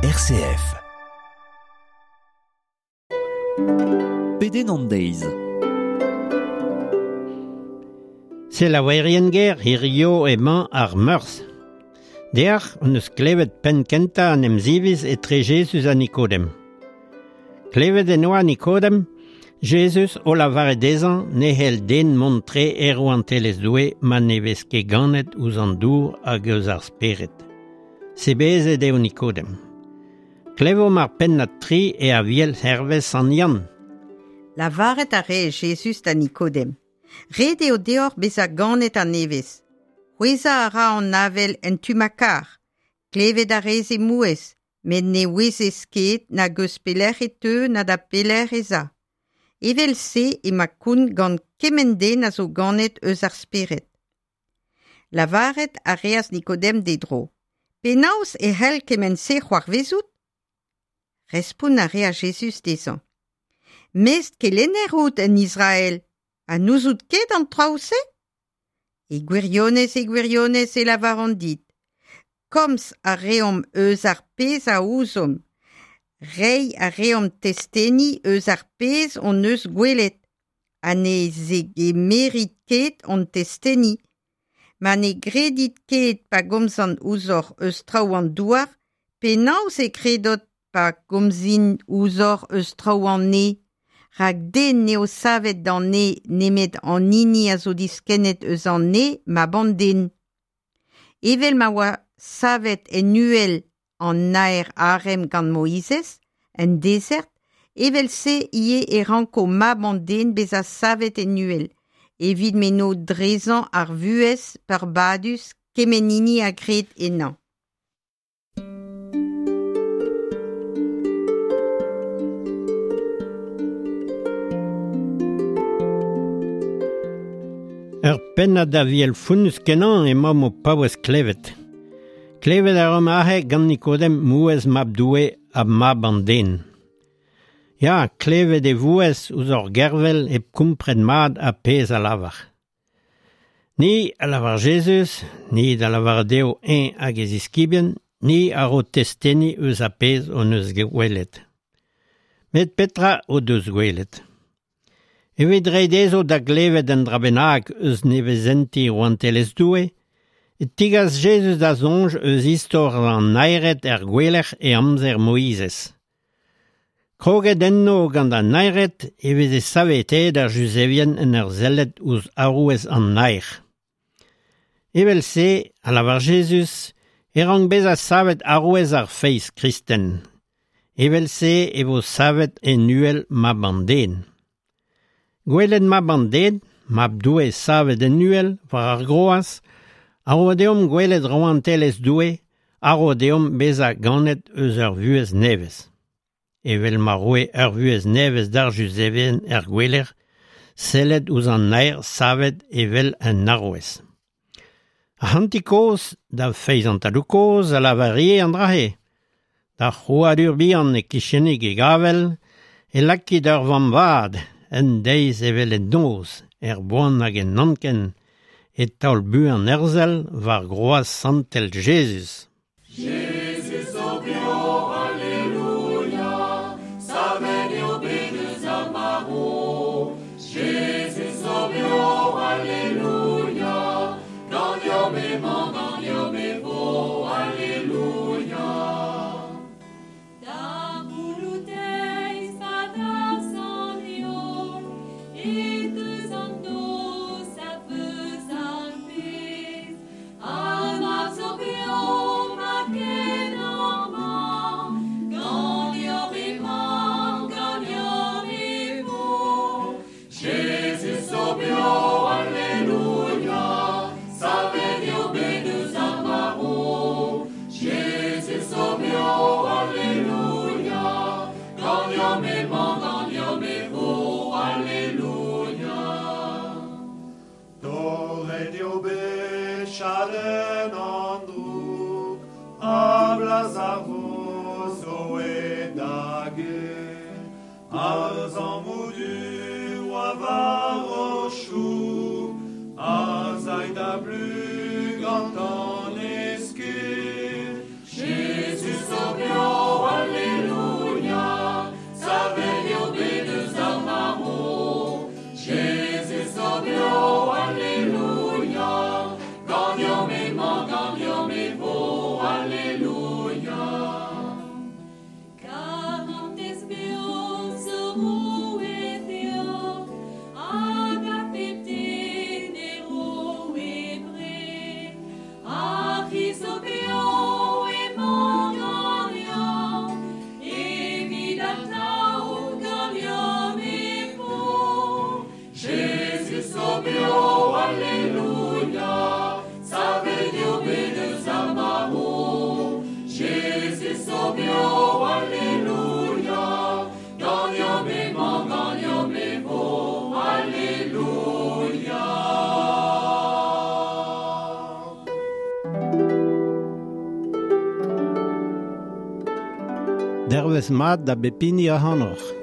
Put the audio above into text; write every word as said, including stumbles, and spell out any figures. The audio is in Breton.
R C F. Pedenn an deiz. Selaouerien ger hirio emañ ar Meurzh. Deoc'h hon eus klevet penn kentañ an emziviz etre Jezuz ha Nikodem. Klevet en oa Nikodem, Jezuz o lavaret dezhañ ne c'hell den mont tre er rouantelezh Doue ma ne vez ket ganet ouzh an dour hag eus ar spered. Sebezet eo Nikodem. Klevomp ar pennad tri e aviel hervez Sant Yann. Lavaret a rae Jezuz da Nikodem. Ret eo deoc'h bezañ ganet a-nevez. C'hwezhañ a ra an avel en tu ma kar. Klevet a rez e mouezh, met ne ouezez ket nag eus pelec'h e teu na da pelec'h ez a. Evel-se emañ kont gant kement den a zo ganet eus ar spered. Lavaret a reas Nikodem d'e dro. Penaos e c'hell kement-se c'hoarvezout? Respont a reas Jezuz dezhañ. Mest kelenner out en Israel, ha n'ouzout ket an traoù-se? E gwirionez, e gwirionez e lavaran dit. Komz a reomp eus ar pezh a ouzomp. Reiñ a reomp testeni eus ar pezh hon eus gwelet, ha ne zegemerit ket hon testeni. Ma ne gredit ket pa gomzan ouzhoc'h eus traoù an douar, penaos e kredot pa gomzin ouzhoc'h eus traoù an neñv? Rak den n'eo savet d'an neñv nemet an hini a zo diskennet eus an neñv mab an den. Evel ma oa savet en uhel an naer arem gant Moizez, en dezert, evel-se ivez e ranko mab an den bezañ savet en uhel, evit m'eno drezañ ar vuhez peurbadus kement hini a gred ennañ. Ur pennad aviel fonnus kenañ emañ o paouez klevet. Klevet a ran aze gant Nikodem mouezh mab Doue ha mab an den. Ya, klevet e vouezh ouzh ur gervel hep kompren mat ha pezh a lavar. Ni a lavar Jezuz, ni da lavar dezho eñ hag e ziskibien, ni a ro testeni eus ar pezh hon eus gwelet. Met petra o deus gwelet? Evit reiñ dezho da glevet un dra bennak eus nevezenti rouantelezh Doue, e tigas Jezuz da soñj eus istor an naered er gouelec'h e amzer Moizez. Kroget enno gant an naered e veze saveteet ar Juzevien en ur sellet ouzh arouez an naer. Evel-se, a lavar Jezuz, e rank bezañ savet arouez ar feiz kristen. Evel-se e vo savet en uhel mab an den. Gwelet mab an den, mab Doue savet en uhel war ar groaz, a ro deomp gwelet rouantelezh Doue, a ro deomp bezañ ganet eus ur vuhez nevez. Evel ma roe ur vuhez nevez d'ar Juzevien er gouelec'h, sellet ouzh an naer savet evel un arouez. Ar c'hantik-kozh, da feiz an tadoù-kozh a lavarie an dra-se. D'ar c'hrouadur bihan e kichenik e gavel, e lakit ur vamm vat, en deiz evel en noz, er boan hag en anken, e taol buan herzel war groaz santel Jezuz. Jezuz zo bev, alleluia, savet eo bet eus ar marv. Jezuz zo bev, alleluia, ganeomp emañ, ganeomp e vo, alleluia. Da gouloù-deiz pa darzh an heol, e deus an noz a veuz ar bez. Ar mab zo bev, ma ken amañ, ganeomp emañ, ganeomp e vo. Jezuz zo bev, alleluia, savet eo bet eus ar marv. Jezuz zo bev, alleluia, ganeomp emañ, ganeomp e vo, alleluia. Torret eo bet chadenn an droug, ha blaz ar vo zo e da get. Ar zammoù du oa war o choug, a zay da blu gant an esked. Jezuz zo bev, Dervez mat da bep hini ac'hanoc'h.